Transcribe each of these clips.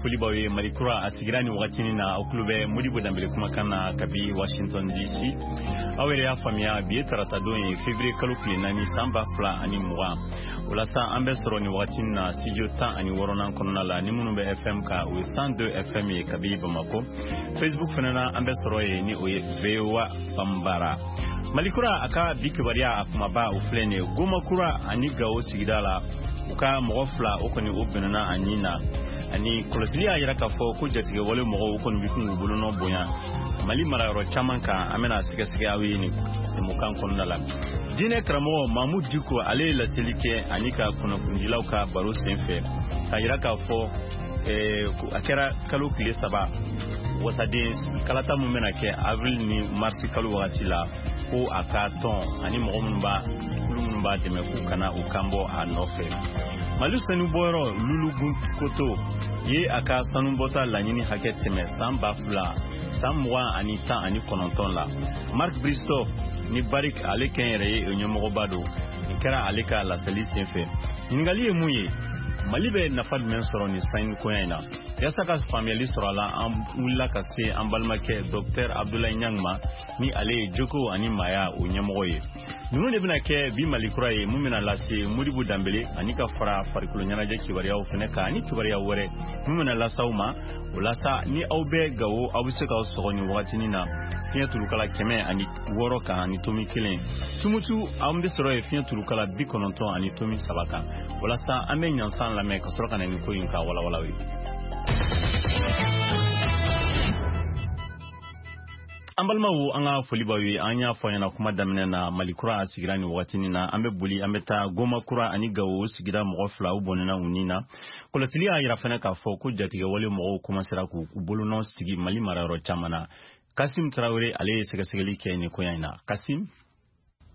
Foli b'aw ye. Mali Kura a sigira nin wagatinin na. Aw tulo bɛ Modibo Danbele kumakan na kabi Washington DC. Aw yɛrɛ y'a faamuya, bi ye taratadon ye, février kalo tile 4, san 2020. O la sa, an bɛ sɔrɔ nin wagatinin na studio 16nan kɔnɔna la. Ni minnu bɛ FM kan, o ye 102 FM ye kabi Bamako. Facebook fana na, an bɛ sɔrɔ yen, ni o ye VOA Bambara. Mali Kura a ka bi kibaruya a kumaba, o filɛ nin ye: Goma Kura ani Gawo sigida la, u ka mɔgɔ fila o kɔni o bɛnna a nin na. Ani kɔlɔsili y'a yira k'a fɔ ko jatigɛwale mɔgɔw o kɔni bɛ kun k'u bolonɔ bonya Mali marayɔrɔ caman kan. An bɛna sɛgɛsɛgɛ aw ye nin jɛmukan kɔnɔna la. Diinɛ karamɔgɔ Mamu Diko, ale ye laseli kɛ ani ka kunnafonidilaw ka baro senfɛ k'a yira k'a fɔ a kɛra kalo tile 3, wasaden kalata min bɛna kɛ avril ni marisi kalo wagati la, ko a ka tɔn ani mɔgɔ minnu b'a kulu minnu b'a dɛmɛ, k'u kana u kan bɔ a nɔfɛ. Mali sanubɔyɔrɔ Lulugun Koto ye a ka sanubɔta laɲini hakɛ tɛmɛ san ba fila san mugan ani tan ani kɔnɔntɔn la. Mark Bristow ni Barrick, ale kɛ yɛrɛ ye o ɲɛmɔgɔba don. Nin kɛra ale ka laseli senfɛ. Ɲininkali ye mun ye? Mali bɛ nafa jumɛn sɔrɔ nin sanukoya in na? Yaasa ka faamuyali sɔrɔ a la, an wulila ka se an balimakɛ Dɔktɛr Abdulayi Ɲang ma, ni ale ye joko ani maaya o ɲɛmɔgɔ ye. Ninnu de bɛna kɛ bi Mali Kura ye mun bɛna lase Modibo Danbele, ani ka fara farikolo ɲɛnajɛ kibaruyaw fɛnɛ kan, ani kibaruya wɛrɛ mun bɛna lase aw ma. O la sa, ni aw bɛ Gawo, aw bɛ se k'aw sɔgɔ nin wagatinin na fiɲɛ turukala 106 kan ani tomi 1. Tumutu, an bɛ sɔrɔ yen fiɲɛ turukala 90.3 kan. O la sa, an bɛ ɲansan lamɛn ka sɔrɔ ka na nin ko in ka walawala ye. An balimaw, an ka foli b'aw ye. An y'a fɔ ɲɛna kuma daminɛ na, Mali Kura a sigira nin wagatinin na. An bɛ boli, an bɛ taa Goma Kura ani Gawo sigida, mɔgɔ fila u bɔnɛna u nin na. Kɔlɔsili y'a yira fɛnɛ k'a fɔ ko jatigɛwale mɔgɔw komansera k'u bolonɔ sigi Mali marayɔrɔ caman na. Kasim Tarawele, ale ye sɛgɛsɛgɛli kɛ nin koɲa in na. Kasim.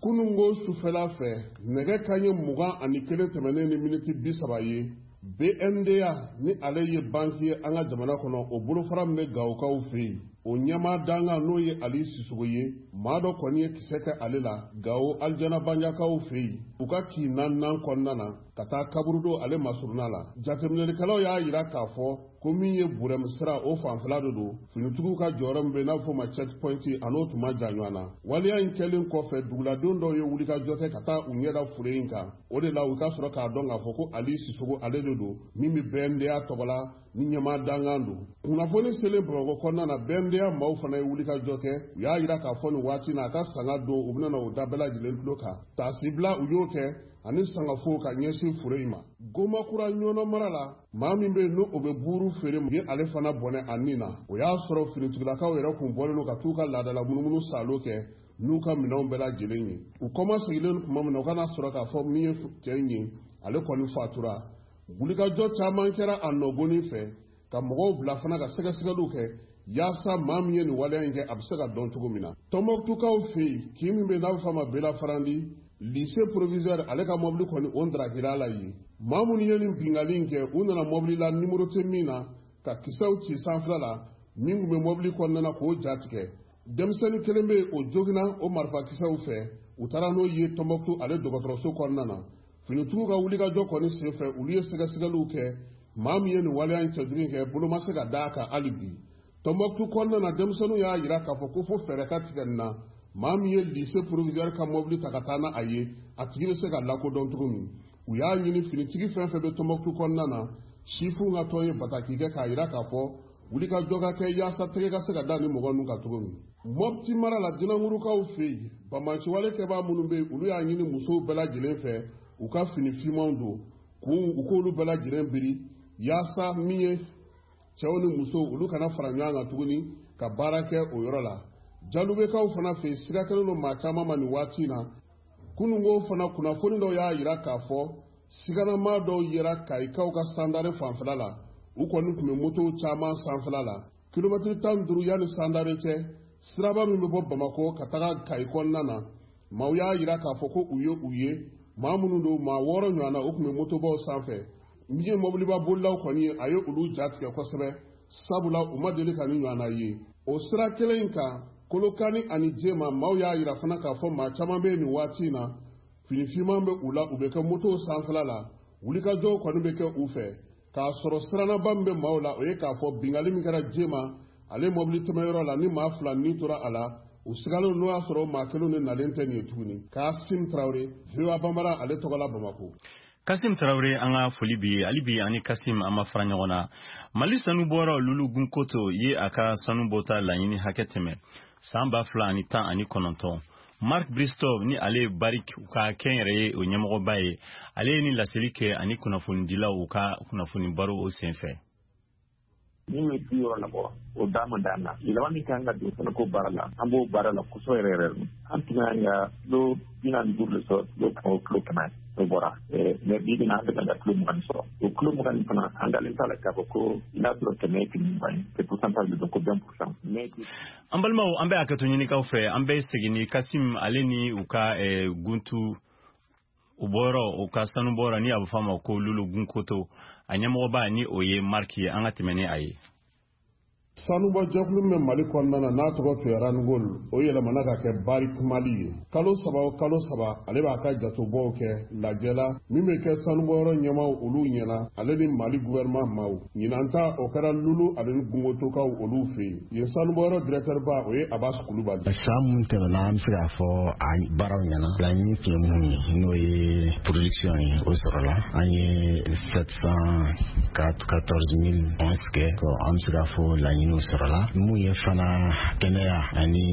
Kunungo sufɛla fɛ, nɛgɛ kaɲɛ 21 tɛmɛnen ni miniti 30 ye, BNDA, ni ale ye banki ye an ka jamana kɔnɔ, o bolofara min bɛ Gawokaw fɛ yen, o ɲɛmaa dankan, n'o ye Ali Sisogo ye, maa dɔ kɔni ye kisɛ kɛ ale la Gawo Alijana Banjakaw fɛ yen, u ka kin naaninan kɔnɔna na, ka taa kaburudo ale masurunna la. Jateminɛlikɛlaw y'a yira k'a fɔ ko min ye Burɛmu sira o fanfɛla de don, finitigiw ka jɔyɔrɔ min bɛ n'a bɛ fɔ ma check point, a n'o tun ma jan ɲɔgɔn na. Waleya in kɛlen kɔfɛ, duguladenw dɔw ye wulikajɔ kɛ ka taa u ɲɛda fure in kan. O de la u ka sɔrɔ k'a dɔn k'a fɔ ko Ali Sisogo, ale de don min bɛ BNDA tɔgɔ la ni ɲɛmaa dankan don. Kunnafoni selen Bamakɔ kɔnɔna na, BNDA maaw fana ye wulikajɔ kɛ. U y'a yira k'a fɔ nin waati na, a ka sanga don, u bɛna o da bɛɛ lajɛlen tulo kan. Taasibila u y'o kɛ ani sangafo ka ɲɛsin fure in ma. Gomakura Ɲɔnɔ mara la, maa min bɛ yen n'o bɛ buuru feere ye, ale fana bɔnɛ a nin na. O y'a sɔrɔ finitigilakaw yɛrɛ kun bɔlen don ka t'u ka laadala munumunu salo kɛ n'u ka minɛnw bɛɛ lajɛlen ye. U kɔma sigilen tuma min na, u kana sɔrɔ k'a fɔ min ye cɛ in ye, ale kɔni fatura. Wulikajɔ caman kɛra a nɔgɔnin fɛ ka mɔgɔw bila fana ka sɛgɛsɛgɛliw kɛ yaasa maa min ye nin waleya in kɛ, a bɛ se ka dɔn cogo min na. Tɔnbɔkutukaw fɛ yen, kin min bɛ n'a bɛ fɔ a ma Bela Farandi, lycée proviseur, ale ka mɔbili kɔni o ndarakira la yen. Maa minnu ye nin binkanni in kɛ, u nana mɔbili la nimoro tɛ min na, ka kisɛw ci sanfɛla la min tun bɛ mɔbili kɔnɔna na k'o ja tigɛ. Denmisɛnnin kelen bɛ yen, o joginna o marifakisɛw fɛ. U taara n'o ye Tɔnbɔkutu ale dɔgɔtɔrɔso kɔnɔna na. Finitigiw ka wulikajɔ kɔni senfɛ, olu ye sɛgɛsɛgɛliw kɛ. Maa min ye nin waleya in cɛjugu in kɛ, bolo ma se ka d'a kan hali bi. Tɔnbɔkutu kɔnɔna na, denmisɛnninw y'a yira k'a fɔ ko fo fɛɛrɛ ka tigɛ nin na, maa min ye lycée proviseur ka mɔbili ta ka taa n'a a ye, a tigi bɛ se ka lakodɔn cogo min. U y'a ɲini finitigi fɛn fɛn bɛ Tɔnbɔkutu kɔnɔna na, sifinw ka tɔn ye bataki kɛ k'a yira k'a fɔ wulikajɔ ka kɛ yaasa tɛgɛ ka se ka da ni mɔgɔ ninnu kan cogo min. Mɔpti mara la, Jinangurukaw fɛ yen, banbaanciwale kɛbaa minnu bɛ yen, olu y'a ɲini musow bɛɛ lajɛlen fɛ u ka fini finmanw don kun, u k'olu bɛɛ lajɛlen biri, yaasa min ye cɛw ni musow, olu kana fara ɲɔgɔn kan tuguni ka baara kɛ o yɔrɔ la. Jalubekaw fana fɛ yen, siga kɛlen don maa caman ma nin waati in na. Kununko fana, kunnafoni dɔw y'a yira k'a fɔ siganamaa dɔw yera Kayikaw ka Sandare fanfɛla la. U kɔni tun bɛ motow caman sanfɛla la, kilomɛtiri 15 yanni Sandare cɛ, siraba min bɛ bɔ Bamakɔ ka taga Kayi kɔnɔna na. Maaw y'a yira k'a fɔ ko u ye u ye maa minnu don, maa 6 ɲɔgɔn na, u tun bɛ motobaw sanfɛ. Min ye mɔbiliba bolilaw kɔni ye, a ye olu jatigɛ kosɛbɛ, sabula u ma deli ka ni ɲɔgɔnna ye. O sira kelen in kan, Kolokani ani Jema, maaw y'a yira fana k'a fɔ maa caman bɛ yen nin waati in na, fini finman bɛ u la, u bɛ kɛ motow sanfɛla la, wulikajɔw kɔni bɛ kɛ u fɛ. K'a sɔrɔ sirannaba min bɛ maaw la, o ye k'a fɔ bingali min kɛra Jema ale mɔbili tɛmɛyɔrɔ la, ni maa 2 ni tora a la, u sigalen n'o y'a sɔrɔ maa kelen de nalen tɛ nin ye tuguni. Kasim Tarawele, VOA Bambara, ale tɔgɔ la Bamakɔ. Kasim Tarawele, an ka foli bi ye. Hali bi ani Kasim an ma fara ɲɔgɔn na. Mali sanubɔyɔrɔ Lulu Gunkoto ye a ka sanu bɔta laɲini hakɛ tɛmɛ san 2019. Mark Bristow, ni ale ye Barrick u ka kɛnyɛrɛye o ɲɛmɔgɔba ye, ale ye ni laseli kɛ ani kunnafonidilaw u ka kunnafoni baro o senfɛ. Min ye 60 labɔ, o da ma d'an na. Yɛlɛma min kan ka don fana ko baara la, an b'o baara la kosɛbɛ yɛrɛ yɛrɛ. An tun kan ka kilo 45 de sɔrɔ, kilo 100 o kilo 100 o bɔra, mais bi bi in na an bɛ ka kilo 20 sɔrɔ. O kilo 20 fana, an dalen t'a la k'a fɔ ko n'a sɔrɔ 100 ye kilo 20 ye, c'est pourcentage de don ko 20%, mais An balimaw, an bɛ hakɛto ɲinikaw fɛ. An bɛ segin ni Kasim ale ni u ka guntu u bɔyɔrɔ, u ka sanu bɔyɔrɔ ni a bɛ fɔ a ma ko Lulu Gunkoto, a ɲɛmɔgɔba ni o ye Mark ye. An ka tɛmɛ ni a ye. Sanubɔ jɛkulu min bɛ Mali kɔnɔna na, n'a tɔgɔ tun ye Randgold, o yɛlɛmana ka kɛ Barrick Mali ye. Kalo 3 o kalo 3, ale b'a ka jatobɔw kɛ lajɛ la min bɛ kɛ sanubɔyɔrɔ ɲɛmaw olu ɲɛna, ale ni Mali gouvernement maaw. Ɲinan ta, o kɛra Lulu ale ni Gungotokaw olu fɛ yen. Yen sanubɔyɔrɔ directeur ba, o ye Abbas Kulubali. San mun tɛmɛna, an bɛ se k'a fɔ a baaraw ɲɛna. Laɲini tun ye mun ye, n'o ye production ye, o sɔrɔla. An ye 714 000 onces kɛ. An bɛ se k'a fɔ laɲiniw sɔrɔla. Mun ye fana kɛnɛya ani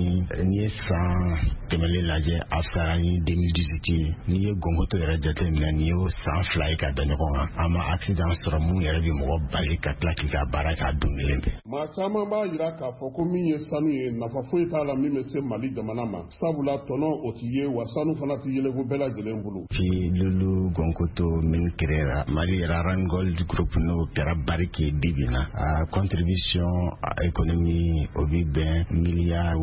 n'i ye san tɛmɛlen lajɛ, a fisayara ni 2018 ye. N'i ye Gonkoto yɛrɛ jateminɛ, nin y'o san 2 ye ka da ɲɔgɔn kan, an ma accident sɔrɔ mun yɛrɛ bɛ mɔgɔ bali ka tila k'i ka baara k'a don kelen bɛɛ. Maa caman b'a yira k'a fɔ ko min ye sanu ye, nafa foyi t'a la min bɛ se Mali jamana ma, sabula tɔnɔ o ti ye wa sanu fana ti yeleku bɛɛ lajɛlen bolo. Puis Lulu Gonkoto min créera Mali yɛrɛ, Randgold Group, n'o kɛra Barrick ye bi bi na, a contribution à économie, o bi bɛn miliyari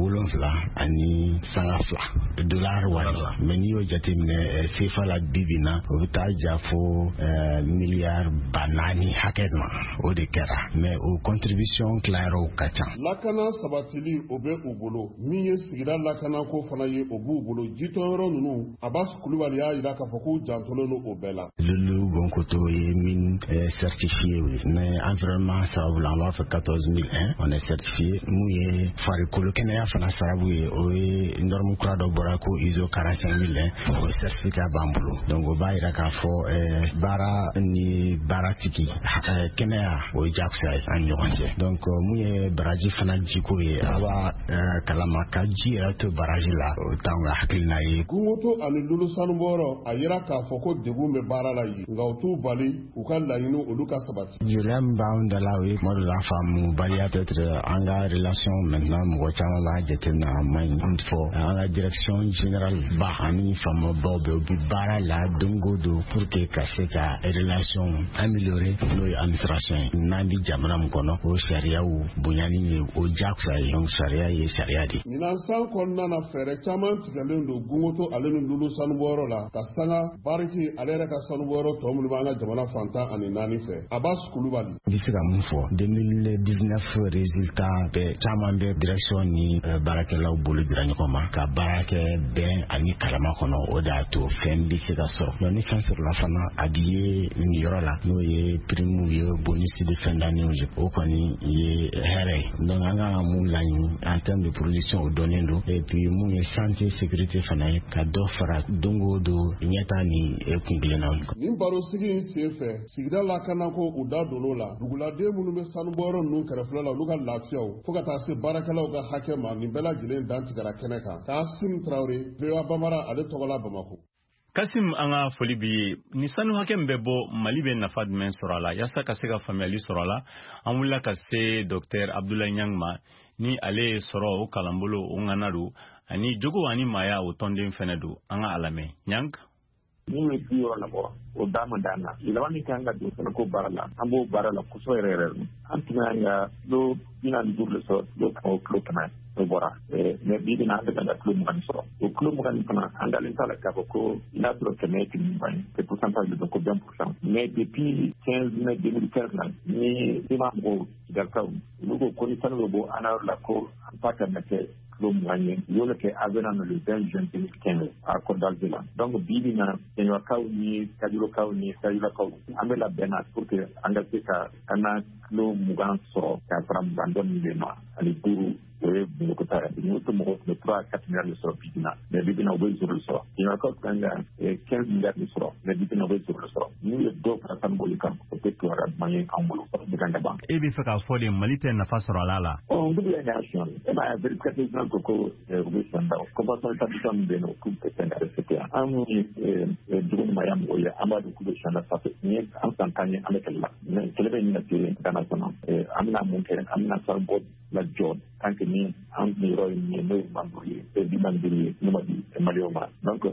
7.2 dollar wari. Mais n'i y'o jateminɛ CFA la bi bi na, o bɛ taa ja fo miliyari 4000 hakɛ ma. O de kɛra, mais o contribution tilayɔrɔw ka ca. Lakana sabatili, o bɛ u bolo. Min ye sigida lakanako fana ye, o b'u bolo. Jitɔyɔrɔ ninnu, Abbas Kulubali y'a yira k'a fɔ k'u jantolen don o bɛɛ la. Lulu Gonkoto ye mine certifié ye, mais environnement sababu la, an b'a fɔ 14001, on est certifié. Mun ye farikolo kɛnɛya fana sababu ye, o ye norme kura dɔ bɔra ko ISO 45001, o certificat b'an bolo. Donc o b'a yira k'a fɔ baara ni baaratigi kɛnɛya, o ye jagosa ye an ni ɲɔgɔn cɛ. Donc mun ye baraji fana jiko ye, a b'a kalama ka ji yɛrɛ to baraji la, o t'anw ka hakilina ye. Gungoto ani Lulu sanubɔyɔrɔ, a yira k'a fɔ ko degun bɛ baara la yen, nka u t'u bali u ka laɲini olu ka sabati. Gɛlɛya min b'anw da la, o ye kuma dɔ la faamubaliya, peut-être an ka relation. Maintenant mɔgɔ caman b'a jateminɛ a man ɲi fɔ an ka direction générale ba ani faamabaw bɛɛ, u bɛ baara la don o don pour que ka se ka relation améliorer, n'o ye administration ye. N'an bɛ jamana min kɔnɔ, o sariyaw bonyani ye o jagosa ye. Donc sariya ye sariya de. Ɲinan san kɔnɔna na, fɛɛrɛ caman tigɛlen don Gungoto ale ni Lulu sanubɔyɔrɔ la ka sanga Barrick ale yɛrɛ ka sanubɔyɔrɔ tɔ minnu b'an ka jamana fan 14 fɛ. Abbas Kulubali. N bɛ se ka mun fɔ? 2019 résultat bɛɛ caman bɛ direction ni baarakɛlaw bolo dira ɲɔgɔn ma ka baara kɛ bɛn ani kalama kɔnɔ. O de y'a to fɛn bɛ se ka sɔrɔ. Donc ni fɛn sɔrɔla fana, a bi ye nin yɔrɔ la, n'o ye primew ye, bonus de fin d'année ye, o kɔni ye hɛrɛ ye. Donc an kan ka mun laɲini en termes de production, o dɔnnen don. Et puis mun ye santé, sécurité fana ye, ka dɔ fara don o don ɲɛta ni kun kelenna. Nin barosigi in sen fɛ, sigida lakanako, u da donn'o la. Duguladen minnu bɛ sanubɔyɔrɔ ninnu kɛrɛfɛla la, olu ka lafiyaw, fo ka taa se baarakɛlaw ka hakɛ ma, nin bɛɛ lajɛlen dantigɛra kɛnɛ kan. Kasim Tarawele, VOA Bambara, ale tɔgɔ la Bamako. Kasim, an ka foli bi ye. Ni sanu hakɛ min bɛ bɔ Mali, bɛ nafa jumɛn sɔrɔ a la? Yaasa ka se ka faamuyali sɔrɔ a la, an wulila ka se Docteur Abdoulaye Niang ma, ni ale ye sɔrɔ o kalanbolo o ŋana don, ani jogo ani maaya o tɔnden fɛnɛ don. An ka a lamɛn. Niang. Min ye 60 labɔ, o da ma d'an na. Yɛlɛma min kan ka don fana ko baara la, an b'o baara la kosɛbɛ yɛrɛ yɛrɛ. An tun kan ka kilo 45 de sɔrɔ, kilo 100 o kilo 100 o bɔra, mais bi bi in na an bɛ ka kilo 20 sɔrɔ. O kilo 20 fana, an dalen t'a la k'a fɔ ko n'a sɔrɔ 100 ye kilo 20 ye, c'est pourcentage de don ko 20%, mais depuis 15 mai 2015 la ni CMA mɔgɔw Kidalikaw olu ko ni sanu bɛ bɔ an yɔrɔ la ko an ta ka na kɛ kilo 20 ye, u y'o kɛ avenant le 20 juin 2015 accord d'Alger la. Donc bi bi na Kɛɲɛbakaw ni Kajolokaw ni Kajolakaw an bɛ labɛn na pour que an ka se ka an na kilo 20 sɔrɔ ka fara 20 dɔɔnin de ma ani 5. O ye Bamakɔ ta ye. N'o tɛ mɔgɔw tun bɛ 3 à 4 milliards de sɔrɔ bi bi na, mais bi bi na u bɛ zéro de sɔrɔ. Kɛɲɛbakaw tun kan ka 15 milliards de sɔrɔ, mais bi bi na u bɛ zéro de sɔrɔ. N'u ye dɔw fara sanu bɔli kan, o tɛ kibaruya duman ye anw bolo, o bɛ kan ka ban. E bɛ fɛ k'a fɔ de Mali tɛ nafa sɔrɔ a la? Ɔ n bɛ y'a sɔn e m'a ye vérificateur général ko u bɛ sɔn da convention d'établissement min bɛ yen nɔ k'u tɛ fɛn ka respecter. An minnu ye dugu ni maaya mɔgɔw ye, an b'a dɔn k'u bɛ sɔn da sanfɛ. Nin ye an san 10 ye an bɛ kɛlɛ la, mais kɛlɛ bɛ ɲini ka se gana kɔnɔ. An bɛna mun kɛ? An bɛna sanu bɔ lajɔ tant que ni an yɔrɔ ye min ye, n'o ye 25 ye, 45 ye, n'o ma di Maliyɛnw ma. Donc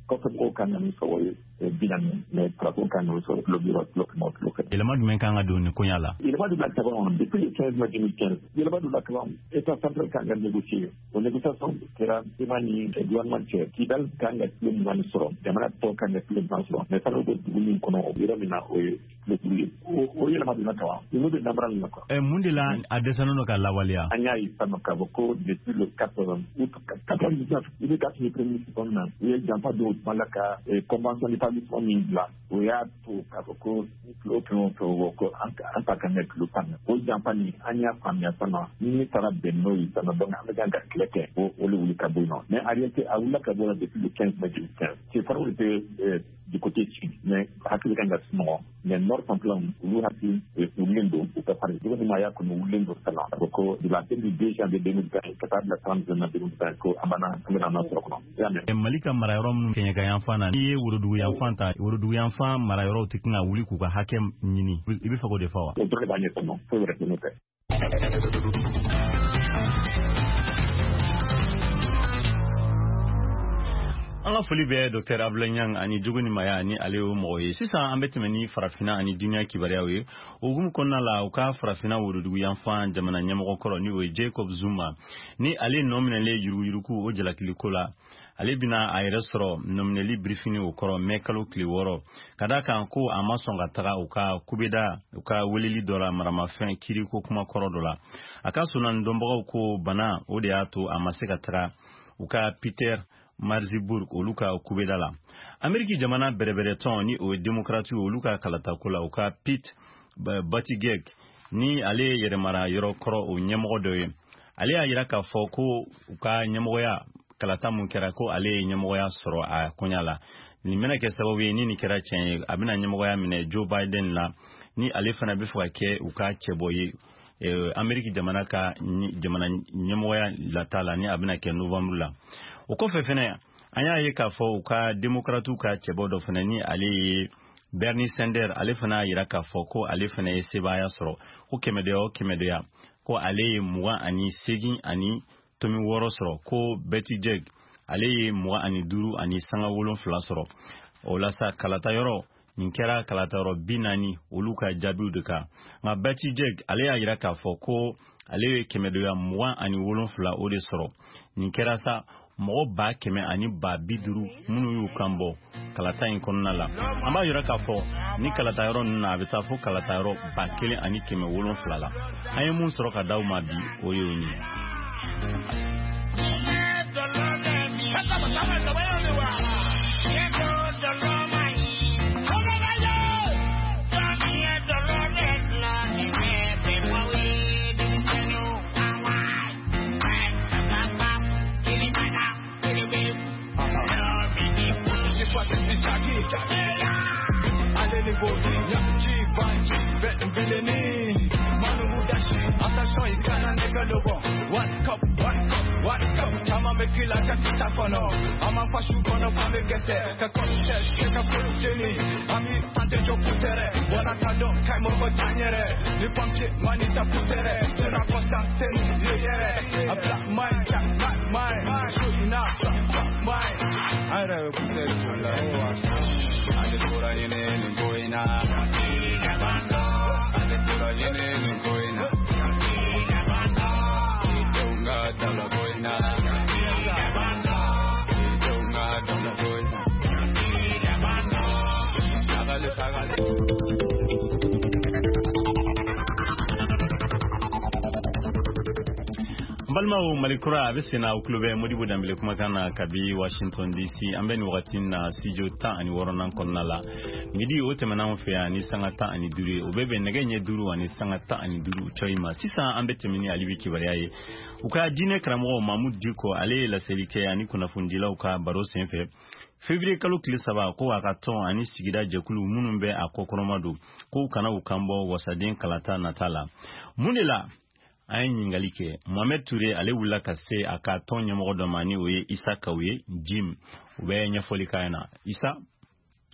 kɔfɛ mɔgɔw kan ka min sɔrɔ o ye 40, mais farafinw kan ka min sɔrɔ kilo 60, kilo 100, kilo 100. Yɛlɛma jumɛn kan ka don nin koɲa la? Yɛlɛma donna kaban depuis le 15 mai 2015. Yɛlɛma donna kaban, État central kan ka négocier. O négociation kɛra CMA ni gouvernement cɛ. Kidal kan ka kilo 20 sɔrɔ, jamana tɔ kan ka kilo 20 sɔrɔ, mais sanu bɛ dugu min kɔnɔ, o yɔrɔ min na, o ye kilo 5 ye. O yɛlɛma donna kaban, ninnu bɛ namara nin na quoi. Mun de la a dɛsɛlen don ka lawaleya? An y'a ye sisan k'a fɔ ko depuis le 4 août 99, i bɛ ka tun ye premier ministre min na, u ye janfa don o tuma la ka convention d'établissement min bila, o y'a to k'a fɔ ko kilo kɛmɛ o kɛmɛ bɔ ko an ta kan ka kilo 10. O janfa nin, an y'a faamuya sisan ni min taara bɛn n'o ye sisan, donc an bɛ kan ka kɛlɛ kɛ o le wuli ka bɔ yen nɔ. Mais en réalité a wulila ka bɔ la depuis le 15 mai 2015. C'est faraw de du côté sud, mais hakili kan ka sunɔgɔ, mais nord fanfɛlaw olu hakili wulilen don, u ka fari dugu ni maaya kɔni wulilen don sisan k'a fɔ ko de la du 2 janvier 2020 ka taa bila 30 juin 2020 ko an bɛna an bɛna an sɔrɔ kɔnɔ. I y'a mɛn? Mali ka marayɔrɔ minnu kɛɲɛka yanfan na, n'i ye worodugu yanfan ta, worodugu yanfan marayɔrɔw tɛ tɛna wuli k'u ka hakɛ ɲini, i bɛ fɛ k'o de fɔ wa? O dɔrɔn de b'a ɲɛfɔ nɔ, foyi wɛrɛ tɛ n'o tɛ. An ka foli bɛ Dr Abdoulaye Niang ani Jogo ni Maya ni ale y'o mɔgɔ ye. Sisan an bɛ tɛmɛ ni farafinna ani duniya kibaruyaw ye. O hukumu kɔnɔna la, u ka farafinna worodugu yanfan jamana ɲɛmɔgɔ kɔrɔ, ni o ye Jacob Zuma, ni ale nɔ minɛlen yuruguyurugu o jalakiliko la, ale bɛna a yɛrɛ sɔrɔ nɔminɛli birifini o kɔrɔ mɛ kalo tile 6, ka d'a kan ko a ma sɔn ka taga u ka kubeda u ka weleli dɔ la maramafɛn kiriko kuma kɔrɔ dɔ la. A ka sunan dɔnbagaw ko bana o de y'a to a ma se ka taga u ka Peter Maritzburg olu ka kubeda la. Ameriki jamana bɛrɛbɛrɛtɔn, ni o ye démocrate, olu ka kalatako la, u ka Pete Buttigieg, ni ale ye yɛrɛmara yɔrɔ kɔrɔ o ɲɛmɔgɔ dɔ ye, ale y'a yira k'a fɔ ko u ka ɲɛmɔgɔya kalata mun kɛra, ko ale ye ɲɛmɔgɔya sɔrɔ a koɲa la. Nin bɛna kɛ sababu ye, ni nin kɛra tiɲɛ ye, a bɛna ɲɛmɔgɔya minɛ Joe Biden la, ni ale fana bɛ fɛ ka kɛ u ka cɛbɔ ye Ameriki jamana ka jamana ɲɛmɔgɔya lata la, ni a bɛna kɛ novembre la. O kɔfɛ fɛnɛ, an y'a ye k'a fɔ u ka démocratiw ka cɛbɔ dɔ fɛnɛ, ni ale ye Bernie Sanders, ale fana y'a yira k'a fɔ ko ale fɛnɛ ye sebaaya sɔrɔ, ko kɛmɛdoya o kɛmɛdoya ko ale ye 28.6 sɔrɔ, ko Buttigieg ale ye 25.7 sɔrɔ. O la sa, kalata yɔrɔ nin kɛra kalata yɔrɔ 40 olu ka jaabiw de kan. Nka Buttigieg ale y'a yira k'a fɔ ko ale ye kɛmɛdoya 27 o de sɔrɔ. Nin kɛra sa mɔgɔ 150,000 minnu y'u kan bɔ kalata in kɔnɔna la. An b'a yira k'a fɔ ni kalata yɔrɔ ninnu na, a bɛ taa fo kalata yɔrɔ 1700 la. An ye mun sɔrɔ ka d'aw ma bi, o ye o ye. Balimaw, Mali kura a bɛ sen na, aw tulo bɛ Modibo Danbele kumakan na kabi Washington DC. An bɛ nin wagati na studio 16nan kɔnɔna la. Midi o tɛmɛna anw fɛ yan ni sanga 15 ye, o bɛ bɛn nɛgɛ ɲɛ 5:15 cɔyi ma. Sisan an bɛ tɛmɛ ni Alibi kibaruya ye. U ka diinɛ karamɔgɔ Mamudu Diko, ale ye laseli kɛ ani kunnafonidilaw ka baro senfɛ février kalo tile 3, ko a ka tɔn ani sigida jɛkulu minnu bɛ a kɔkɔrɔma don, k'u kana u kan bɔ wasaden kalata nata la. Mun de la? An ye ɲininkali kɛ Mohamed Ture, ale wulila ka se a ka tɔn ɲɛmɔgɔ dɔ ma, ni o ye Isa Kaw ye Jim. U bɛ ɲɛfɔli k'a ɲɛna. Isa.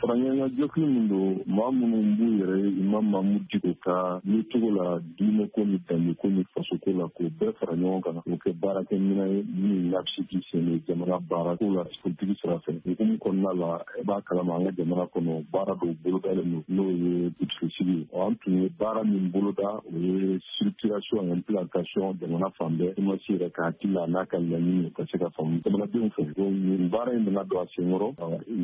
Faraɲɔgɔnkan jɛkulu min don, maa minnu b'u yɛrɛ ye Imam Mamudu Diko ka yecogo la, diinɛko ni danbeko ni fasoko la, k'o bɛɛ fara ɲɔgɔn kan k'o kɛ baarakɛminɛn ye min n'a bɛ se k'i sen don jamana baara ko la politiki sira fɛ. Hukumu kɔnɔna la, e b'a kalama, an ka jamana kɔnɔ, baara dɔw bolodalen don, n'o ye dugutigisigi ye. An tun ye baara min boloda, o ye structuration, implantation jamana fan bɛɛ. CMAS yɛrɛ ka hakili la n'a ka laɲini ka se ka faamu jamanadenw fɛ. Donc nin baara in nana don a senkɔrɔ.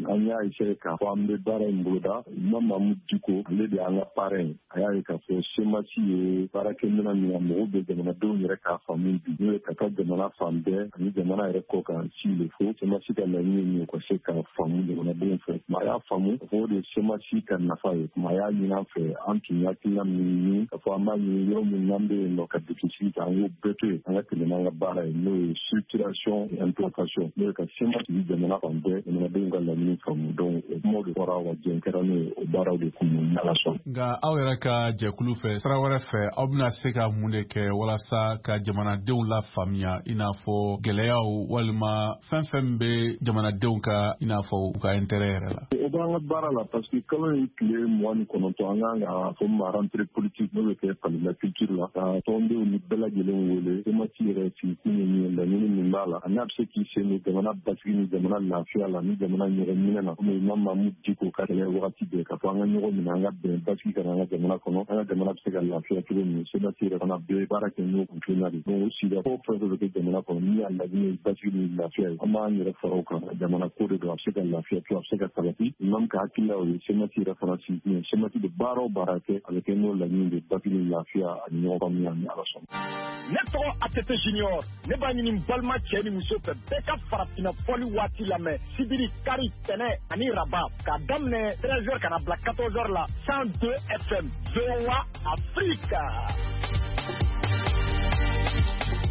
An y'a essayer k'a fɔ an bɛ baara in boloda. Imam Mamudu Diko, ale de y'an ka parrain ye. A y'a ye k'a fɔ CMAS ye baarakɛminɛn min, a mago bɛ jamanadenw yɛrɛ k'a faamu bi, n'o ye ka taa jamana fan bɛɛ ani jamana yɛrɛ kɔ kan s'il le faut. CMAS ka laɲini min ye, ka se ka faamu jamanadenw fɛ. Maa y'a faamu k'a fɔ o de ye CMAS ka nafa ye. Maa y'a ɲini an fɛ, an tun ye hakilina min ɲini k'a fɔ an b'a ɲini yɔrɔ min n'an bɛ yen nɔ ka déficit ta, an k'o bɛɛ to yen, an ka tɛmɛ n'an ka baara ye, n'o ye structuration et implantation, n'o ye ka CMAS sigi jamana fan bɛɛ, jamanadenw ka laɲini faamu. Donc o kumaw de fɔra wa jɛn kɛra n'o ye, o baaraw de kun ni Ala sɔnna. Nka aw yɛrɛ ka jɛkulu fɛ, sira wɛrɛ fɛ, aw bɛna se ka mun de kɛ walasa ka jamanadenw la faamuya, i n'a fɔ gɛlɛyaw walima fɛn fɛn bɛ jamanadenw ka, i n'a fɔ u ka intérêt yɛrɛ la? O b'an ka baara la, parce que kalo in tile 29, an kan ka fɔ ma rentrée politique, n'o bɛ kɛ Palais de la Culture la, ka tɔndenw ni bɛɛ lajɛlen wele. CMAS yɛrɛ sigikun ye min ye, laɲini min b'a la, a n'a bɛ se k'i sen don jamana basigi ni jamana lafiya la ni jamana ɲɔgɔn minɛ na, komi Imam Mamudu Diko ka kɛlɛ wagati bɛɛ k'a fɔ an ka ɲɔgɔn minɛ, an ka bɛn, basigi ka na an ka jamana kɔnɔ, an ka jamana bɛ se ka lafiya cogo min. CMAS yɛrɛ fana bɛ baara kɛ n'o kuntilenna de. Donc o sigida fɛn fɛn bɛ kɛ jamana kɔnɔ, min y'a laɲini ye basigi ni lafiya ye, an b'an yɛrɛ fara o kan. Jamana ko de don, a bɛ se ka lafiya to, a bɛ se ka sabati. Imam ka hakilila o ye, CMAS yɛrɛ fana sigikun ye. CMAS bɛ baara o baara kɛ, a bɛ kɛ n'o laɲini de, basigi ni lafiya ani ɲɔgɔn faamuya, ni Ala sɔnna. Ne tɔgɔ ATT Junior. Ne b'a ɲini n balima cɛ ni muso fɛ, bɛɛ ka farafinna fɔli waati lamɛn sibiri, kari, tɛnɛ ani raba, k'a daminɛ 13 heures ka na bila 14 heures la, 102 FM, VOA Afrique.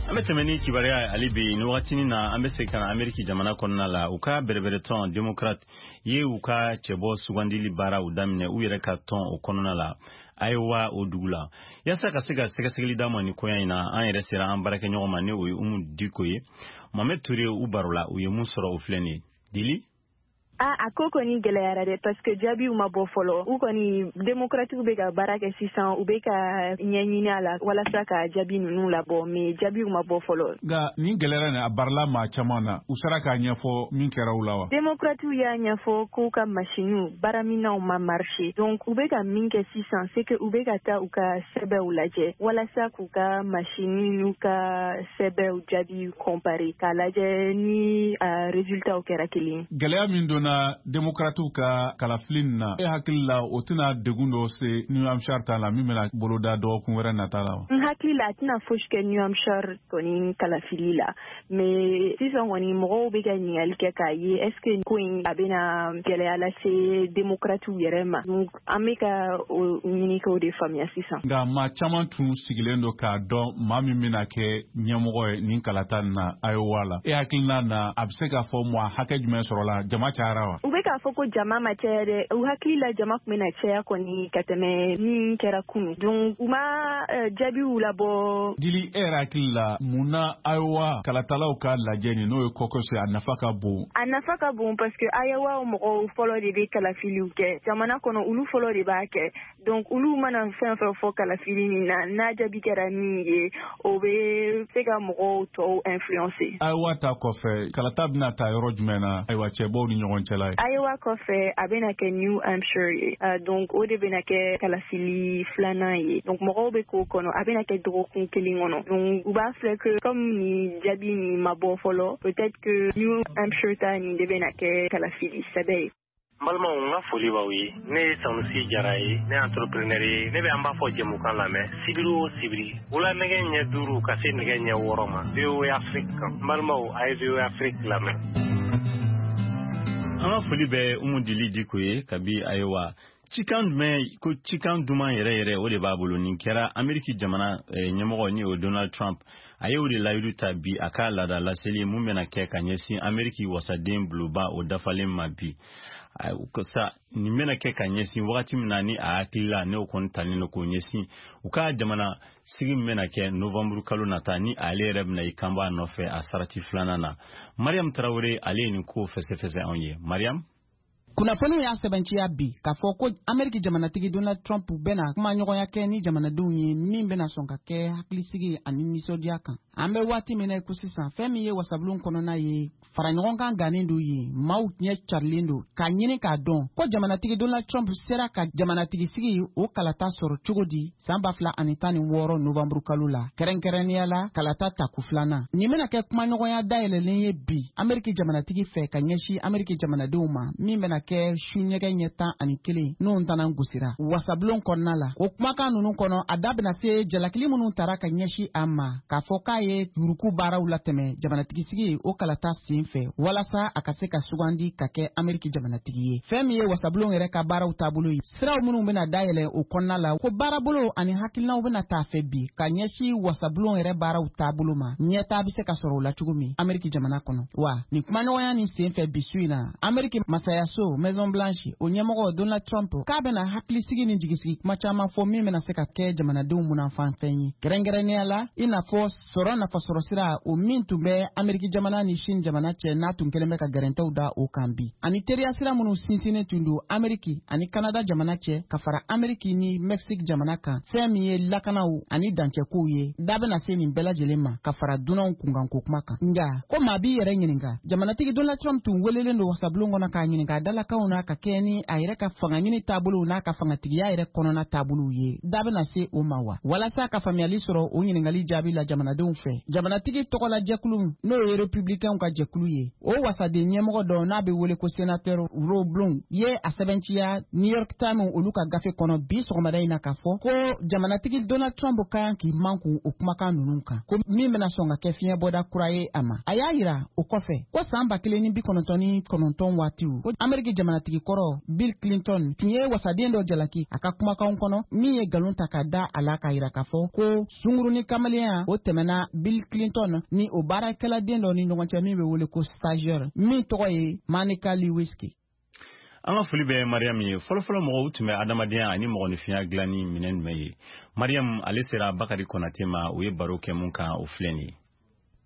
An bɛ tɛmɛ ni kibaruya ye hali bi. Ni wagatinin na, an bɛ segin ka na Ameriki jamana kɔnɔna la. U ka bɛrɛbɛrɛtɔn Démocrate ye u ka cɛbɔ sugandili baaraw daminɛ u yɛrɛ ka tɔn o kɔnɔna la, Iowa o dugu la. Yaasa ka se ka sɛgɛsɛgɛli d'a ma nin koɲa in na, an yɛrɛ sera an baarakɛɲɔgɔn ma, ni o ye Umu Diko ye. Mohamed Ture u baro la, u ye mun sɔrɔ, o filɛ nin ye. Dili. A a ko kɔni gɛlɛyara dɛ, parce que jaabiw ma bɔ fɔlɔ. U kɔni, démocratiques bɛ ka baara kɛ sisan, u bɛ ka ɲɛɲini a la walasa ka jaabi ninnu labɔ, mais jaabiw ma bɔ fɔlɔ. Nka nin gɛlɛyara nin, a barila maa caman na. U sera k'a ɲɛfɔ min kɛra u la wa? Démocratiques y'a ɲɛfɔ k'u ka machiniw, baaraminɛnw ma marché. Donc u bɛ ka min kɛ sisan, c'est que u bɛ ka taa u ka sɛbɛnw lajɛ walasa k'u ka machine n'u ka sɛbɛnw jaabi comparer, k'a lajɛ ni résultats kɛra kelen ye. Gɛlɛya min donna Démocratiw ka kalafili nin na, e hakili la, o tɛna degun dɔ se New Hampshire ta la min bɛna boloda dɔgɔkun wɛrɛ nata la wa? N hakili la, a tɛna fosi kɛ New Hampshire kɔni kalafili la, mais sisan kɔni, mɔgɔw bɛ ka ɲininkali kɛ k'a ye est ce que ko in a bɛna gɛlɛya lase démocratiw yɛrɛ ma. Donc an bɛ ka o ɲini k'o de faamuya sisan. Nka maa caman tun sigilen don k'a dɔn maa min bɛna kɛ ɲɛmɔgɔ ye nin kalata nin na Iowa la. E hakilina na, a bɛ se k'a fɔ maa hakɛ jumɛn sɔrɔla? Jama cayara wa? U bɛ k'a fɔ ko jama ma caya dɛ. U hakili la, jama tun bɛna caya kɔni ka tɛmɛ min kɛra kunu. Donc u ma jaabiw labɔ. Dili, e yɛrɛ hakili la, mun na Iowa kalatalaw ka lajɛ nin, n'o ye caucus ye, a nafa ka bon? A nafa ka bon parce que Iowa mɔgɔw fɔlɔ de bɛ kalafiliw kɛ jamana kɔnɔ, olu fɔlɔ de b'a kɛ. Donc olu mana fɛn fɛn fɔ kalafili nin na, n'a jaabi kɛra min ye, o bɛ se ka mɔgɔw tɔw influencer. Iowa ta kɔfɛ, kalata bɛna ta yɔrɔ jumɛn na, ayiwa, cɛbɔw ni ɲɔgɔn cɛla ye? Iowa kɔfɛ, a bɛna kɛ New Hampshire ye. Donc o de bɛna kɛ kalafili filanan ye. Donc mɔgɔw bɛ k'o kɔnɔ, a bɛna kɛ dɔgɔkun kelen kɔnɔ. Donc u b'a filɛ que comme nin jaabi nin ma bɔ fɔlɔ, peut-être que New Hampshire ta nin de bɛna kɛ kalafili sɛbɛ ye. N balimaw, n ka foli b'aw ye. Ne ye Sanusi Jara ye, ne ye entrepreneur ye. Ne bɛ an b'a fɔ jɛmukan lamɛn sibiri o sibiri, wula nɛgɛ ɲɛ 5 ka se nɛgɛ ɲɛ 6 ma, VOA Afrique kan. N balimaw, a ye VOA Afrique lamɛn. An ka foli bɛ Umu Dili Diko ye kabi. Ayiwa, cikan jumɛn ko cikan duman yɛrɛ yɛrɛ, o de b'a bolo. Nin kɛra Ameriki jamana ɲɛmɔgɔ ni o Donald Trump, a ye o de layidu ta bi a ka laada laseli mun bɛna kɛ ka ɲɛsin Ameriki wasaden bulonba o dafalen ma bi sa. Nin bɛna kɛ ka ɲɛsin wagati min na ni a hakilila n'o kɔni talen don k'o ɲɛsin u ka jamana sigi min bɛna kɛ novanburu kalo nata, ni ale yɛrɛ bɛna i kanbɔ a nɔfɛ a sarati filanan na. Mariam Tarawele, ale ye nin ko fɛsɛfɛsɛ anw ye. Mariam. Kunnafoniw y'a sɛbɛnciya bi k'a fɔ ko Ameriki jamanatigi Donald Trump bɛna kumaɲɔgɔnya kɛ ni jamanadenw ye, min bɛna sɔn ka kɛ hakilisigi ani nisɔndiya kan. An bɛ waati min na ko sisan, fɛn min ye wasabulon kɔnɔna ye, faraɲɔgɔnkan gannen don yen, maaw ɲɛ carilen don k'a ɲini k'a dɔn ko jamanatigi Donald Trump sera ka jamanatigi sigi o kalata sɔrɔ cogo di san 2016 novanburu kalo la, kɛrɛnkɛrɛnnenya la kalata tako filanan. Nin bɛna kɛ kumaɲɔgɔnya dayɛlɛlen ye bi Ameriki jamanatigi fɛ ka ɲɛsin Ameriki jamanadenw ma, min bɛna kɛ su ɲɛgɛ ɲɛ 11 n'o ntanan gosira wasabulon kɔnɔna la. O kumakan nunu kɔnɔ, a da bɛna se jalakili minnu tara ka ɲɛsin a ma k'a fɔ k'a ye yuruku baaraw latɛmɛ jamanatigi sigi o kalata sen fɛ walasa a ka se ka sugandi ka kɛ Ameriki jamanatigi ye. Fɛn min ye wasabulon yɛrɛ ka baaraw taabolo ye, siraw minnu bɛna dayɛlɛ o kɔnɔna la, ko baarabolo ani hakilinaw bɛna taa fɛ bi ka ɲɛsin wasabulon yɛrɛ baaraw taabolo ma, ɲɛtaa bɛ se ka sɔrɔ o la cogo min Ameriki jamana kɔnɔ. Wa nin kumaɲɔgɔnya nin sen fɛ bi su in na, Ameriki masayaso Maison Blanche o ɲɛmɔgɔ Donald Trump k'a bɛna hakilisigi ni jigisigi kuma caman fɔ, min bɛna se ka kɛ jamanadenw munanfanfɛn ye, kɛrɛnkɛrɛnnenya la i n'a fɔ sɔrɔ nafasɔrɔ sira o min tun bɛ Ameriki jamana ni Chine jamana cɛ, n'a tun kɛlen bɛ ka gɛrɛntɛw da o kan bi, ani teriya sira minnu sinsinnen tun don Ameriki ani Kanada jamana cɛ, ka fara Ameriki ni Mexique jamana kan. Fɛn min ye lakanaw ani dancɛkow ye, da bɛna se nin bɛɛ lajɛlen ma, ka fara dunanw kunkanko kuma kan. Nga ko maa b'i yɛrɛ ɲininka, jamanatigi Donald Trump tun welelen don wasabulon kɔnɔ k'a ɲininka a dalakanw n'a ka kɛ ni a yɛrɛ ka fangaɲini taabolow n'a ka fangatigiya yɛrɛ kɔnɔna taabolow ye, da bɛna se o ma wa? Walasa ka faamuyali sɔrɔ o ɲininkali jaabi la jamanadenw fɛ, jamanatigi tɔgɔla jɛkulu, n'o ye Republicainw ka jɛkulu ye, o wasaden ɲɛmɔgɔ dɔ n'a bɛ wele ko sénateur Rob Blum ye a sɛbɛnciya New York Times olu ka gafe kɔnɔ bi sɔgɔmada in na k'a fɔ ko jamanatigi Donald Trump ka kan k'i mankun o kumakan ninnu kan, ko min bɛna sɔn ka kɛ fiɲɛbɔda kura ye a ma. A y'a yira o kɔfɛ ko san 1999 waatiw, ko Ameriki jamanatigi kɔrɔ Bill Clinton tun ye wasaden dɔ jalaki a ka kumakanw kɔnɔ min ye nkalon ta ka da a la, k'a yira k'a fɔ ko sungurun ni kamalenya o tɛmɛna Bill Clinton ni o baarakɛladen dɔ ni ɲɔgɔn cɛ min bɛ wele ko stagiaire, min tɔgɔ ye Monica Lewinsky. An ka foli bɛ Mariam ye. Fɔlɔfɔlɔ, mɔgɔw tun bɛ adamadenya ani mɔgɔninfinya dilan ni minɛn jumɛn ye? Mariam, ale sera Bakari Konate ma, u ye baro kɛ mun kan, o filɛ nin ye.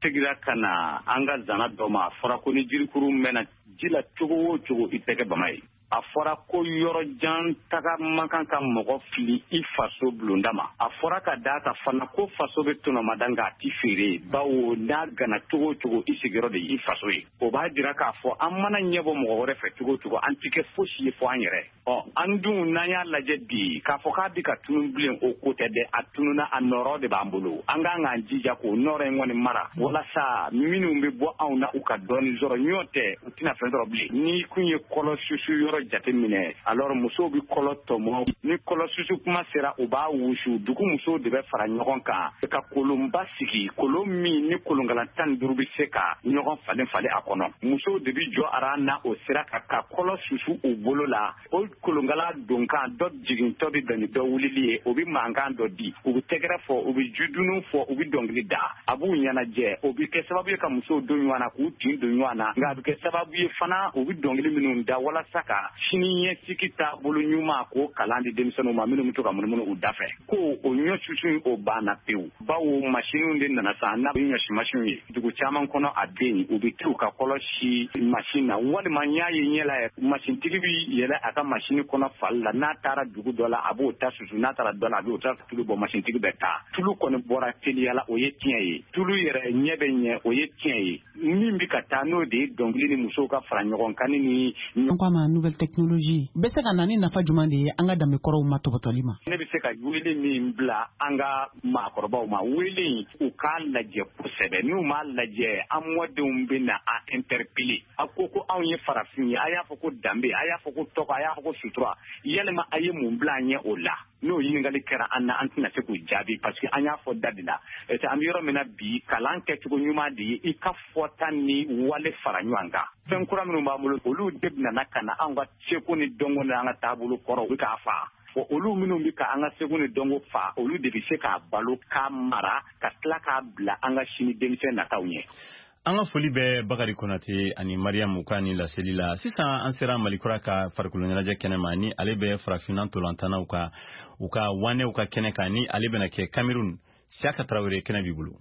Segira ka na an ka zana dɔ ma, a fɔra ko ni jirikuru mɛnna ji la cogo o cogo, i tɛ kɛ bama ye. A fɔra ko yɔrɔ jan taga man kan ka mɔgɔ fili i faso bulonda ma. A fɔra ka d'a kan fana ko faso bɛ tɔnɔmada, nka a ti feere, bawo n'a gana cogo o cogo, i sigiyɔrɔ de y'i faso ye. O b'a jira k'a fɔ an mana ɲɛbɔ mɔgɔ wɛrɛ fɛ cogo o cogo, an ti kɛ fosi ye fɔ an yɛrɛ. Ɔ, an dun n'an y'a lajɛ bi k'a fɔ k'a bɛ ka tunun bilen, o ko tɛ dɛ. A tununna, a nɔrɔ de b'an bolo. An k'an k'an jija k'o nɔrɔ in kɔni mara, walasa minnu bɛ bɔ anw na, u ka dɔɔni sɔrɔ. Ɲɔ tɛ, u tɛna fɛn sɔrɔ bilen. N'i kun ye kɔlɔ susu yɔrɔ jate minɛ, alors musow bɛ kɔlɔ tɔmɔ. Ni kɔlɔ susu kuma sera, u b'a wusu. Dugu musow de bɛ fara ɲɔgɔn kan ka kolonba sigi, kolon min ni kolonkala 15 bɛ se ka ɲɔgɔn falen falen a kɔnɔ. Musow de bɛ jɔ aran na o sira kan ka kɔlɔ susu u bolo la. O kolonkala donkan dɔ jigintɔ bɛ bɛn ni dɔ wulili ye, o bɛ mankan dɔ di, u bɛ tɛgɛrɛ fɔ, u bɛ jidunu fɔ, u bɛ dɔnkili da, a b'u ɲɛnajɛ. O bɛ kɛ sababu ye ka musow don ɲɔgɔn na, k'u tin don ɲɔgɔn na, nka a bɛ kɛ sababu ye fana u bɛ dɔnkili minnu da walasa ka sini ɲɛsigi taabolo ɲuman k'o kalan di denmisɛnninw ma minnu bɛ to ka munumunu u da fɛ. Ko o ɲɔ susu in, o banna pewu, bawo masiniw de nana sa n'a bɛ ɲɔsi masinw ye. Dugu caman kɔnɔ, a bɛ yen, u bɛ t'u ka kɔlɔ si masin na, walima n y'a ye ɲɛ la, masintigi bɛ yɛlɛ a ka masini kɔnɔ fali la. N'a taara dugu dɔ la, a b'o ta susu. N'a taara dɔ la, a b'o ta tulu bɔ. Masintigi bɛ taa, tulu kɔni bɔra teliya la, o ye tiɲɛ ye. Tulu yɛrɛ ɲɛ bɛ ɲɛ, o ye tiɲɛ ye. Min bɛ ka taa, n'o de ye dɔnkili ni musow ka fara ɲɔgɔn kan ni An ko a ma nouvelle. technologie bɛ se ka na ni nafa jumɛn de ye an ka danbekɔrɔw ma tɔbɔtɔli ma? Ne bɛ se ka wele min bila an ka maakɔrɔbaw ma, wele in u k'a lajɛ kosɛbɛ. N'u m'a lajɛ, an mɔdenw bɛ na a interpeller. A ko ko anw ye farafin ye, a y'a fɔ ko danbe, a y'a fɔ ko tɔgɔ, a y'a fɔ ko sutura, yalima a ye mun bila an ɲɛ o la? N'o ɲininkali kɛra an na, an tɛna se k'u jaabi, parce que an y'a fɔ da de la. An bɛ yɔrɔ min na bi, kalan kɛcogo ɲuman de ye i ka fɔta ni wale fara ɲɔgɔn kan. Fɛn kura minnu b'an bolo, olu de bɛna ka na an ka seko ni dɔnko ni an ka taabolo kɔrɔ, u bɛ k'a fa. Olu minnu bɛ ka an ka seko ni dɔnko fa, olu de bɛ se k'a balo, k'a mara, ka tila k'a bila an ka sini denmisɛn nataw ɲɛ. An ka foli bɛ Bakari Konate ani Mariam ka ni laseli la. Sisan an sera Malikura ka farikolo ɲɛnajɛ kɛnɛ ma, ni ale bɛ farafinna ntolantanaw ka u ka wanɛw ka kɛnɛ kan, ni ale bɛna kɛ Cameroun. Siaka Traoré, kɛnɛ b'i bolo.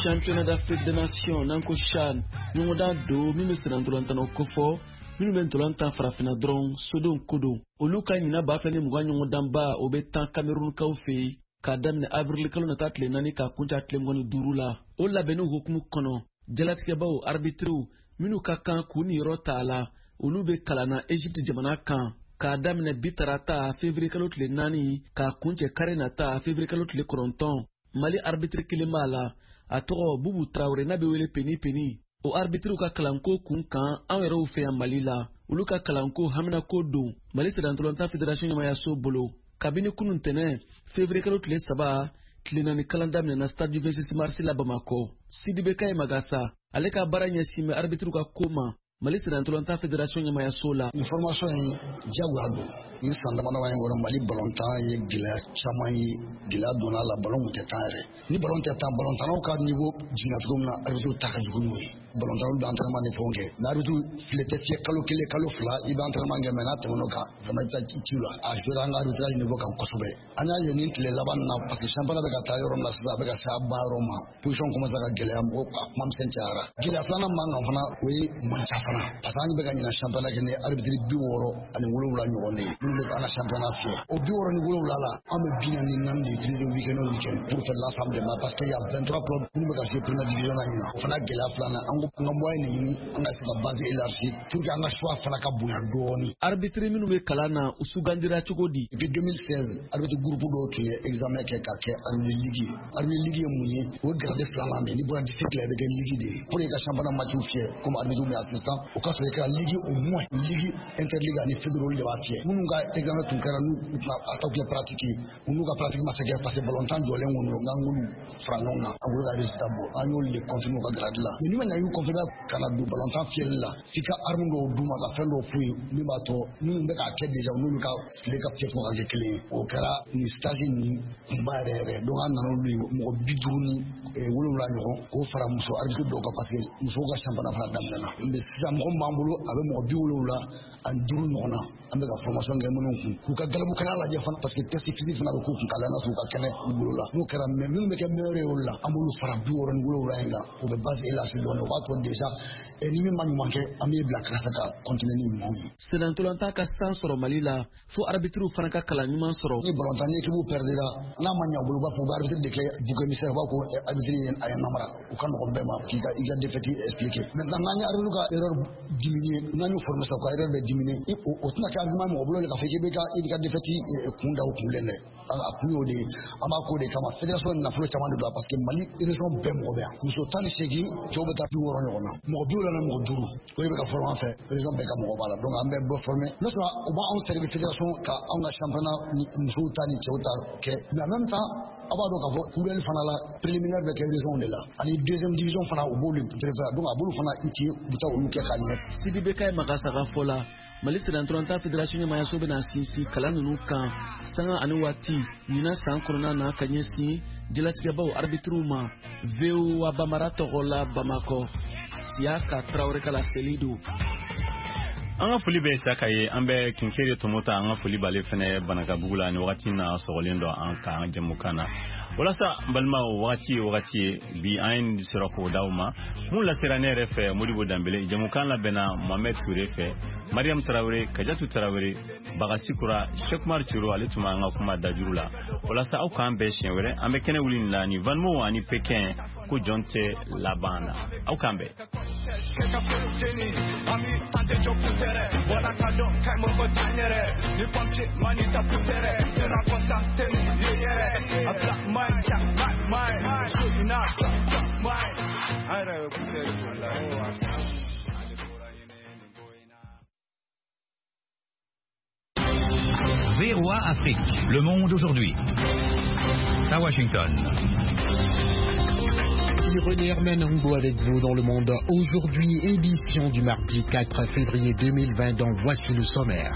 Championnat d'Afrique des Nations n'an ko CHAN, ɲɔgɔndan don min bɛ senna ntolantanaw kofɔ minnu bɛ ntolan tan farafinna dɔrɔn, sodenw ko don. Olu ka ɲina 2020 ɲɔgɔndanba, o bɛ tan Camerounkaw fɛ yen k'a daminɛ avril kalo nata tile 4 k'a kuncɛ tile 25 la. O labɛnniw hukumu kɔnɔ, jalatigɛbaw arbitriw minnu ka kan k'u niyɔrɔ ta a la, olu bɛ kalan na Egypte jamana kan k'a daminɛ bi tarata février kalo tile 4 k'a kuncɛ kari nata février kalo tile 9. Mali arbitre kelen b'a la, a tɔgɔ Bubu Traoré, n'a bɛ wele Peni Peni. O arbitriw ka kalanko kun kan anw yɛrɛw fɛ yan Mali la, olu ka kalanko haminako don Mali sennantolatan fédération ɲɛmayaso bolo. Kabini kunun tɛnɛ février kalo tile 3, tile 4 kalan daminɛna stade du 26 mars la Bamakɔ. Sidibe Kaye Magasa, ale ka baara ɲɛsin bɛ arbitriw ka ko ma Mali sennantolatan fédération ɲɛmayaso la. Nin formation in diyagoya don. Nin san damadama in kɔnɔ, Mali balontan ye gɛlɛya caman ye, gɛlɛya donna a la, balon tun tɛ tan yɛrɛ. Ni balon tɛ tan, balontannaw ka niveau jiginna cogo min na, arbitre ta ka jugu n'o ye. Balontannaw bɛ entraînement ni fɛnw kɛ, mais arbitre file tɛ fiyɛ kalo 1, kalo 2, i bɛ entraînement kɛ, mais n'a tɛmɛn'o kan, vraiment i bɛ taa i ci la. A joué an ka arbitrage niveau kan kosɛbɛ. An y'a ye nin tile laban na, parce que championnat bɛ ka taa yɔrɔ min na sisan, a bɛ ka se a ban yɔrɔ ma, position commence ka gɛlɛya, mɔgɔw a kuma misɛn cayara. Gɛlɛya filanan b'an kan fana, o ye manca fana, parce que an bɛ ka ɲina championnat kɛ ni arbitre 67 ɲɔgɔn de ye minnu bɛ an ka championnat fiyɛ. O 67 la, an bɛ 44 de utiliser week-end o week-end pour faire l'ensemble des matchs, parce que y a 23 clubs minnu bɛ ka jouer première division na ɲina. O fana gɛlɛya filanan, an ko an ka moyen de ɲini an ka se ka base élargie pour que an ka choix fana ka bonya dɔɔni. Arbitre minnu bɛ kalan na, u sugandira cogo di? Depuis 2016, arbitre groupe dɔw tun ye examen kɛ ka kɛ arbitre ligue ye. Arbitre ligue ye mun ye? O ye grade filanan de ye. N'i bɔra district la, i bɛ kɛ ligue de ye. Pour que i ka championnat match fiyɛ comme arbitre ou bien assistant, o ka sɔrɔ i kɛra ligue au moins, ligue interligue ani fédéral de b'a fiyɛ. Minnu ka examen tun kɛra, n'u tun a ta kɛ pratique ye, u n'u ka pratique ma se kɛ, parce que balontan jɔlen kɔni don, n'an k'olu fara ɲɔgɔn kan, an bolo ka résultat bɔ, an y'olu de confirmer u ka grade la. Mais n'i ma ɲa y'u confirmer ka na don balontan fiyɛli la, f'i ka arme dɔw d'u ma, ka fɛn dɔw f'u ye min b'a to minnu bɛ k'a kɛ déjà, n'olu ka tile ka fiyɛcogo ka kɛ kelen ye. O kɛra nin stage nin kunba yɛrɛ yɛrɛ. Donc an nana olu ye mɔgɔ 57 ɲɔgɔn, k'o fara muso arbitre dɔw kan, parce que musow ka championnat fana daminɛna. Mais sisan mɔgɔ min b'an bolo, a bɛ mɔgɔ 75 ɲɔgɔn na, an bɛ ka formation kɛ minnu kun, k'u ka galabu kɛnɛ lajɛ fana, parce que test physique fana bɛ k'u kun, k'a lajɛ n'a sɔrɔ u ka kɛnɛ u bolo la. N'o kɛra, mais minnu bɛ kɛ meilleur ye olu la, an b'olu fara 67 in kan, o bɛ base élargie dɔɔni. O b'a to déjà ni min ma ɲuman kɛ, an b'e bila kɛrɛfɛ ka continuer ni ɲumanw ye. Sennantolatan ka san sɔrɔ Mali la, fo arbitriw fana ka kalan ɲuman sɔrɔ. Ni balontan ni équipe perdira, n'a ma ɲɛ u bolo, u b'a fɔ u bɛ arbitre de kɛ bouc émissaire, u b'a ko arbitre ye a ye namara. U ka nɔgɔn bɛɛ ma k'i ka i ka défaite expliquer. Maintenant, n'an ye arbitre ka erreur diminuer, n'an y'u former sisan, u ka erreur bɛ diminuer, o tɛna kɛ argument mɔgɔ bolo k'a fɔ k'i bɛ ka i ka défaite kun da o kun dɛ. A kun y'o de ye. An b'a k'o de kama fédération nafolo caman de don, parce que Mali région bɛɛ mɔgɔ bɛ yan, muso 18, cɛw bɛ taa 60 ɲɔgɔn na, mɔgɔ 75, o de bɛ ka former an fɛ, région bɛɛ ka mɔgɔ b'a la. Donc an bɛ bɛɛ former. N'o sɔrɔ o b'anw servir fédération ka anw ka championnat ni musow ta ni cɛw ta kɛ. Mais en même temps, a b'a dɔn k'a fɔ kuruɛli fana la, préliminaire bɛ kɛ région de la, ani deuxième division fana, u b'olu préfère, donc a b'olu fana utile, u bɛ taa olu kɛ ka ɲɛ. Sidibe Kaye Magasa ka fɔ la, Mali sennantolatan fédération ɲɛmayaso bɛna sinsin kalan ninnu kan sanga ani waati ɲinan san kɔnɔna na ka ɲɛsin jalatigɛbaw arbitriw ma. VOA Bambara tɔgɔ la Bamakɔ, Siyaka Tarawele ka laseli don. An ka foli bɛ Saka ye. An bɛ Kinkere Tɔmɔta, an ka foli b'ale fɛnɛ Banakabugu la. Ni wagati na sɔgɔlen dɔ an ka jɛmukan na. Walasa n balimaw, wagati ye wagati ye, bi an ye nin sɔrɔ k'o d'aw ma. Mun lasera ne yɛrɛ fɛ, Modibo Danbele. Jɛmukan labɛnna Mohamed Touré fɛ, Mariam Tarawele, Kajatu Tarawele, Bagasikura, Shekumar Ciro, ale tun b'an ka kuma dajuru la. Walasa aw k'an bɛn siɲɛ wɛrɛ, an bɛ kɛnɛ wuli nin la ni Vanmo ani Pekin ko jɔn tɛ laban na. Aw k'an bɛn. VOA Afrique, le monde aujourd'hui. À Washington. René Herman Ngo avec vous dans le monde aujourd'hui, édition du mardi 4 février 2020 dont voici le sommaire.